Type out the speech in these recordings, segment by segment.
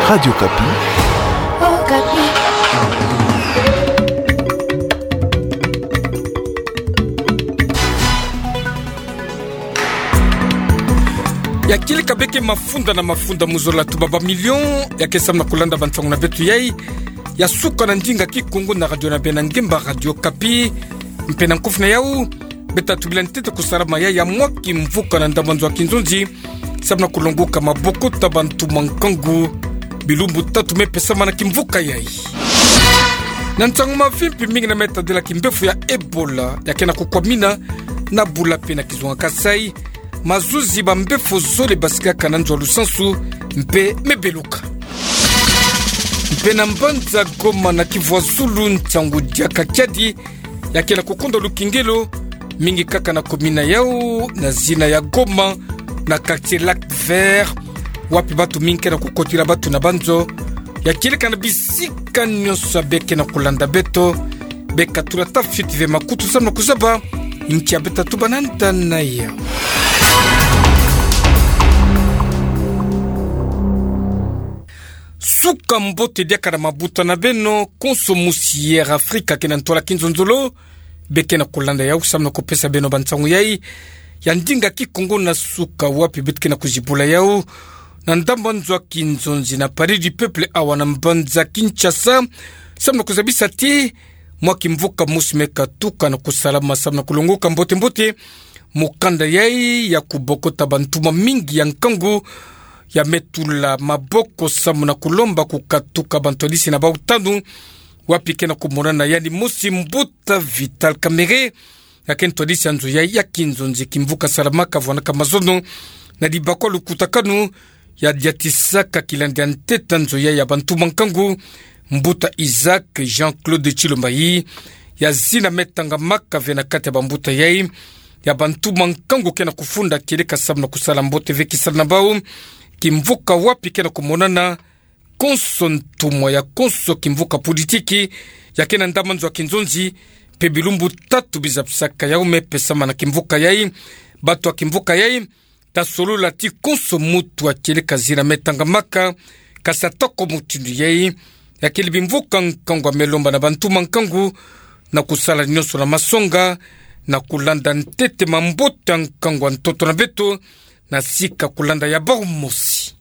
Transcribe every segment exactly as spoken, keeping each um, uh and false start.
Radio Okapi. Okapi. Ya kieleka beke mafunda na mafunda mu zola tuba ba million, ya ke samu na kulanda bansangu na beto yai ya suka na ndinga Kikongo na radio na bena ngemba Radio Okapi. Mpe na nkufi na yau, beta tubila ntete kusalama yai ya mwa kimvuka na ndambu nzo a kinzonzi, samu na kulongoka maboko ta bantu ma nkangu, bilumbu tatu me pesamana kimvuka yai. Na nsangu mavimpi, mingi na me tadila kimbevo ya Ebola ya ke na kukwamina na Bula-Paix na kizunga Kasaï, mazuzi ba mbevo zole basikaka na nzo a lusansu mpe me beluka. Mpe na mbanza Goma na Kivu ya Zulu, nsangu diaka kiadi ya ke na kukonda lukengelo, mingi kaka na commune yau na zina ya Goma, na quartier Lac Vert, wapi bantu mingi ke na kukotila bantu na banzo. Ya kieleka na bisika nyonso ya beke na kulanda beto, beka tula ta fioti ve makutu samu na kuzaba nki ya beta tuba na nda na yau. Suka mbote diaka na mabuta na beno, konso musi Air Afrique ke na ntwala kinzonzolo, beke na kulanda yau samu na kupesa beno bansangu yai ya ndinga Kikongo na suka, wapi beto ke na kuzibula yau na ndambu nzo a kinzonzi na Palais du Peuple awa na mbanza Kinshasa, samu na kuzabisa ti mwa kimvuka mosi me katuka na kusalama samu na kulongoka mbote-mbote mukanda yai ya kubokota bantu ma mingi ya nkangu ya me tula maboko samu na kulomba kukatuka bantwadisi na bau tanu, wapi ke na kumonana yandi mosi, mbuta Vital Kamerhe, ya ke ntwadisi ya nzo yai ya kinzonzi. Kimvuka salamaka vwanaka mazono na dibakwa lukutakanu ya diatisaka kilandi ya ntete ya nzo yai ya bantu ma nkangu, mbuta Isaac Jean-Claude Tshilombayi, ya zina me tangamaka ve na kati ya bambuta yai ya bantu ma nkangu ke na kufunda kieleka samu na kusala mbote ve kisala na bau. Kimvuka wapi ke na kumonana konso ntumwa ya konso kimvuka politiki ya ke na ndambu nzo a kinzonzi, mpe bilumbu tatu bizabisaka yau me pesamana kimvuka yai. Bantu ya kimvuka yai ta solola ti konso mutu ya kieleka zina me tangamaka, kasi atoko mutindu yai, ya kele bimvuka nkangu ya me lomba na bantu ma nkangu na kusala nyonso na masonga na kulanda ntete mambote ya nkangu ya ntoto na beto, na sika kulanda ya bau mosi.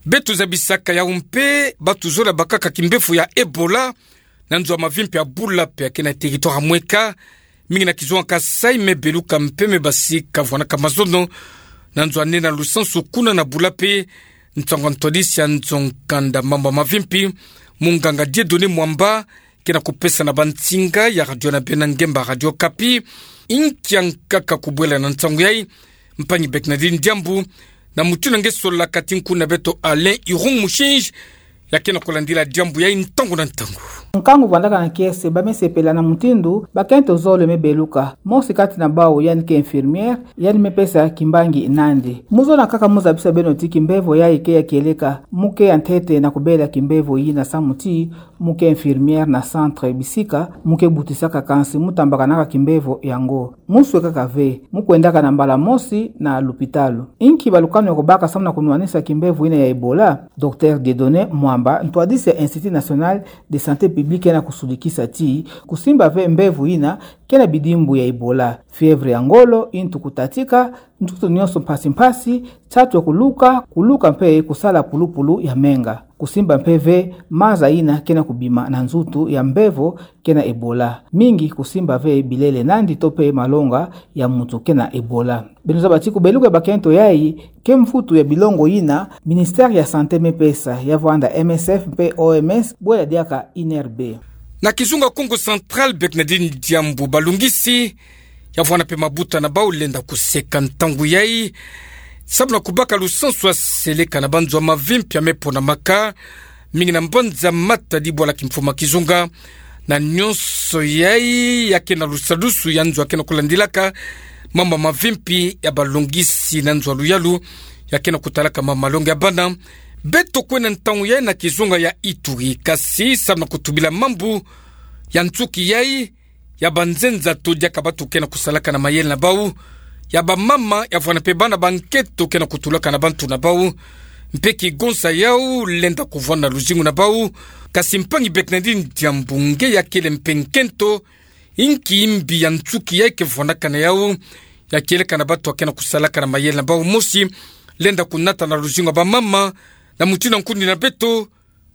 Beto zabisaka yau mpe, bantu zola bakaka kimbevo ya Ebola na nzo ya mavimpi ya Bula-Paix ya ke na territoire ya Mweka, mingi na kizunga Kasaï, me beluka mpe me basika vwanaka mazono na nzo ya nene ya lusansu kuna na Bula-Paix. Nsangu ya ntwadisi ya nzo nkanda mambu ya mavimpi, munganga Dieudonné Mwamba, ke na kupesa na bansinga ya radio na bena ngemba Radio Okapi. Inki ya nkaka kubwela na nsangu yai, mpangi Bernardine Diambu, na mutindu nge sola kati nku na beto Alain Irung Mushinji, ya ke na kulandila diambu yai ntangu na ntangu. Nkangu vwandaka na kiese, ba me sepela na mutindu bakento zole me beluka. Mosi kati na bau yandi ke infirmière, yandi me pesa kimbangi nandi. Mu zola nkaka mu zabisa beno ti kimbevo yai ke ya kieleka, mu ke ya ntete na kubela kimbevo yina samu ti mu ke infirmière na centre bisika, mu ke butisaka kansi mu tambakanaka kimbevo yango. Mu swekaka ve, mu kwendaka na mbala mosi na lupitalu. Inki balukanu ya kubaka samu na kunwanisa kimbevo yina ya Ebola? Docteur Dieudonné Mwamba, ntwadisi ya Institut National de Santé Publique, ke na kusudikisa ti kusimba ve mbevo yina ke na bidimbu ya Ebola: fièvre ya ngolo, ntu kutatika, ntutu nyonso mpasi-mpasi, nsatu ya kuluka, kuluka mpe kusala pulupulu ya menga. Kusimba mpe ve maza yina ke na kubima na nzutu ya mbevo ke na Ebola. Mingi kusimba ve bilele nandi to mpe malonga ya mutu ke na Ebola. Beno zaba ti kubeluka bakento yai ke mvutu ya bilongo yina ministère ya santé me pesa, ya vwanda M S F mpe O M S, bwela diaka I N R B. Na kizunga Kongo Central, Bernardine Diambu, balungisi ya vwanda mpe mabuta na bau lenda kuseka ntangu yai samu na kubaka lusansu ya seleka na banzo ya mavimpi ya me ponamaka, mingi na mbanza Matadi, bwala kimfumu ya kizunga, na nyonso yai ya ke na lusadusu ya nzo ya ke na kulandilaka mambu ya mavimpi ya balungisi na nzo ya luyalu ya ke na kutalaka mambu malongi ya bana. Beto kwenda ntangu yai na kizunga ya Ituri, kasi samu na kutubila mambu ya nsuki yai ya banzenza to diaka bantu ke na kusalaka na mayele na bau, ya bamama, ya vwanda mpe bana ba nkento ke na kutulaka na bantu na bau, mpe ki gonza yau lenda kuvwanda na luzingu na bau. Kasi mpangi Bernardine Diambu, nge ya kele mpe nkento, inki imbi ya nsuki yai ke vwandaka na yau, ya kieleka na bantu ya ke na kusalaka na mayele na bau mosi, lenda kunata na luzingu ya bamama, na mutindu ya nkundi na beto,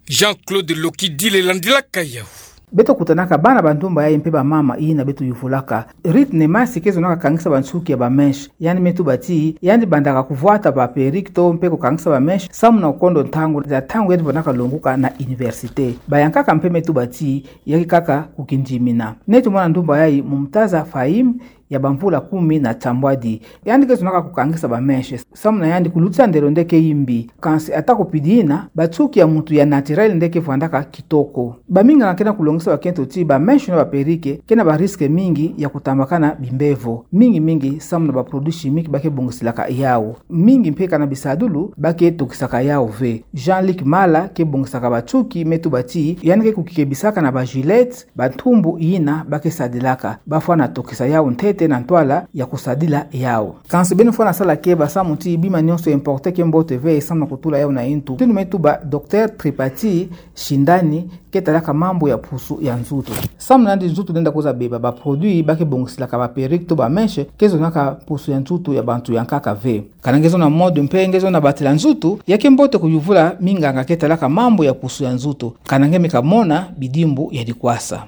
Jean-Claude Lokidile landilaka yau. Beto kutanaka bana ba ndumba yai mpe bamama, ina beto yuvulaka. Rite Nemas ke zonaka kangisa bansuki ya ba mèches. Yandi me tuba ti, yandi bandaka kuvwata ba perruques to mpe kukangisa ba mèches, samu na kukondo ntangu, za ntangu yandi vandaka longuka na université. Bayankaka mpe me tuba ti, ya ke kaka kukindimina. Neti mwana ndumba yai Mumtaza Fahim, ya bamvula kumi na tambwadi. Yandi ke zonaka kukangisa ba mèches. Samu na yandi kulutisa ndelo nde ke imbi. Kansi ata kupidi ina, bansuki ya muntu ya naturel nde ke vwandaka kitoko. Baminganga ke na kulongisa bakento ti ba mèches na ba perruques ke na ba risques mingi ya kutambakana bimbevo. Mingi mingi samu na ba produits chimiques ba ke bongisilaka yau. Mingi mpe ka na bisadulu ba ke tokisaka yau ve. Jean-Luc Mala ke bongisaka bansuki me tuba ti, yandi ke kukikebisaka na ba Gillette, bantumbu ina ba ke sadilaka. Ba fwana tokisa yau ntete na ntwala ya kusadila yau. Kansi beno fwana sala keba samu ti bima nionso importé ke mbote ve samu na kutula yau na intu. Mutindu me tuba Docteur Tripathi Shindani, ke talaka mambu ya pusu ya nzutu. Samu na yandi nzutu lenda kwiza beba, ba produits ba ke bongisilaka ba perruques to ba mèches ke zonaka pusu ya nzutu ya bantu yankaka ve. Kana nge zona mode mpe nge zona batela nzutu, ya ke mbote kuyuvula minganga ke talaka mambu ya pusu ya nzutu. Kana nge me kamona bidimbu ya dikwasa.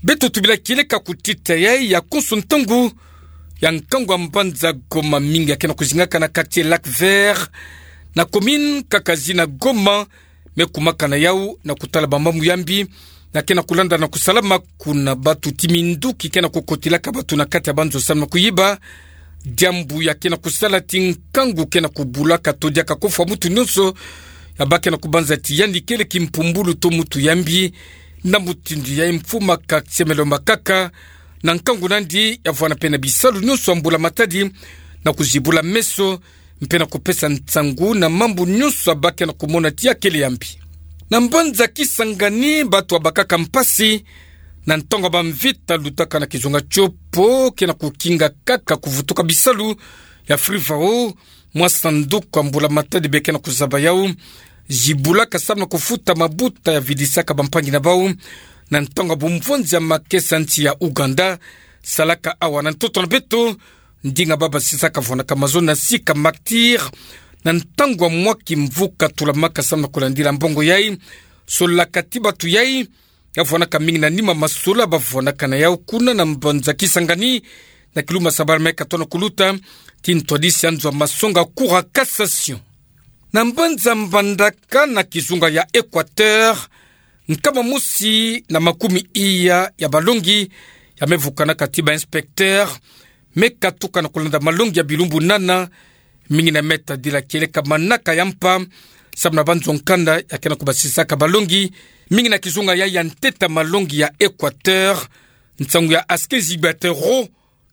Beto tubila kieleka kutita yai ya konso ntangu, ya nkangu ya mbanza Goma, mingi ya ke na kuzingaka na quartier Lac Vert, na commune kaka zina Goma, me kumaka na yau na kutala bamambu ya mbi, na ke na kulanda na kusalama kuna bantu ti minduki ke na kukotilaka bantu na kati ya banzo samu na kuyiba. Diambu ya ke na kusala ti nkangu ke na kubulaka to diaka kofwa muntu nionso, ya ba ke na kubanza ti yandi kele kimpumbulu to muntu ya mbi. Na mutindu yai mfuma ka semelo makaka, na nkangu na yandi ya vwanda mpe na bisalu nionso ya mbula matadi, na kuzibula meso, mpe na kupesa nsangu na mambu nionso ya ba ke na kumona ti ya kele ya mbi. Na mbanza Kisangani, bantu ya bakaka mpasi na ntangu ya bamvita lutaka na kizunga Tshopo ke na kukinga kaka kuvutuka bisalu ya Frivao, mwa sanduku ya mbula matadi be ke na kuzaba yau, zibulaka samu na kufuta mabuta ya vidisaka bampangi na bau, na ntangu ya bumvonzi ya makesa nsi ya Ouganda, salaka awa na ntoto na beto, ndinga ba basisaka vwandaka mazo na sika Maktir, na ntangu ya mwa kimvuka tulamaka samu na kulandila mbongo yai, solaka ti bantu yai, ya vwandaka mingi na nima masola ba vwandaka na yau kuna na mbanza Kisangani, na kilumbu sabala me katona kuluta, ti ntwadisi ya nzo ya masonga Cour ya cassation. Na mbanza Mbandaka na kizunga ya Equateur, nkama mosi na makumi iya ya balongi, ya me vukanaka ti ba inspecteur, me katuka na kulanda malongi ya bilumbu nana, mingi na me tadila kieleka manaka ya mpa, samu na banzo nkanda ya ke na kubasisaka balongi, mingi na kizunga yai ya ntete ya malongi ya Equateur, nsangu ya Askezi Batero,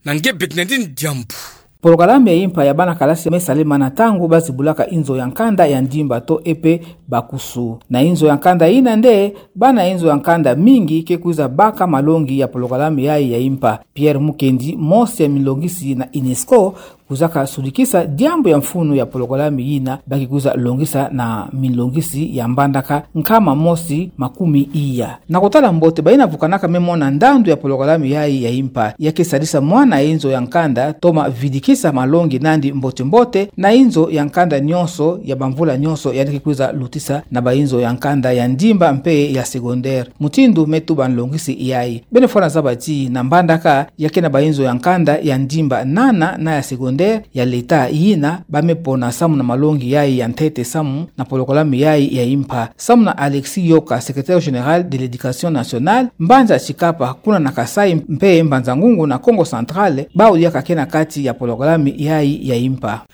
na nge Bernardine Diambu. Polokalame ya impa ya bana kalasi me salema na ntangu ba zibulaka inzo ya nkanda ya ndimba to E P Bakusu. Na inzo ya nkanda ina nde, bana inzo ya nkanda mingi ke kwiza baka malongi ya polokalame yai ya impa. Pierre Mukendi, mosi ya milongisi na UNESCO, kwizaka sudikisa diambu ya mfunu ya polokalame ina ba ke kwiza longisa na milongisi ya Mbandaka nkama mosi makumi iya. Na kutala mbote, bayina vukanaka me mona ndandu ya polokalame yai ya impa, ya ke sadisa mwana inzo ya nkanda toma vidikisa malongi nandi mbote-mbote na inzo ya nkanda nionso ya bamvula nionso yandi ke kwiza lutisa na ba inzo ya nkanda ya ndimba mpe ya secondaire. Mutindu me tuba nlongisi yai, beno fwana zaba ti na Mbandaka ya ke na ba inzo ya nkanda ya ndimba nana na ya secondaire ya leta yina ba me pona samu na malongi yai ya ntete samu na polokalame yai ya impa. Samu na Alexis Yoka, secrétaire général de l'Éducation nationale, mbanza Tshikapa kuna na Kasaï mpe Mbanza-Ngungu na Kongo Central, bawu diaka ke na kati ya polokalame yai ya impa.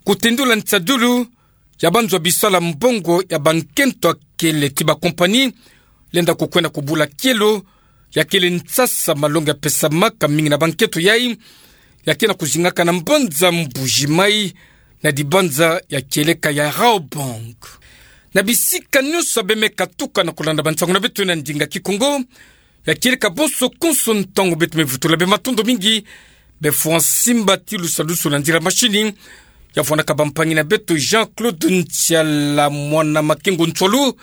Kutendula nsadulu ya banzo ya bisala mbongo ya bankento ya kele ti ba compagnie lenda kukwenda kubula kielo, ya kele nsasa malongi ya pesamaka mingi na bankento yai, ya ke na kuzingaka na mbanza Mbuji-Mayi, na dibanza ya kieleka ya Raobank. Na bisika nionso ya be me katuka na kulanda bansangu na beto na ndinga Kikongo, Be kieleka bonso konso ntangu beto mevutula be matondo mingi. Be fwa simba ti lusalusu na nzila masini, ya vwana kabampangi na beto Jean-Claude Ntiala, mwana Makengo Nswalu,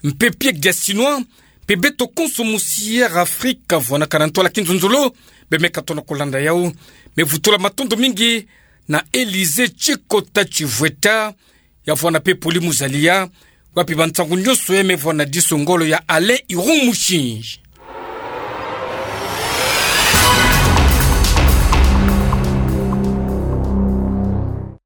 mpe Pierre Giasinois, mpe beto konso mu Sierra Africa, vwana kana ntwala kinzonzolo, be meka tona kolanda yau. Mevutula matondo mingi na Elise Chikota Chivweta, ya vwana mpe Poli Muzalia, wapi ba nsangu nyonso ya mevwana diso ngolo ya Alain Irung Mushinji.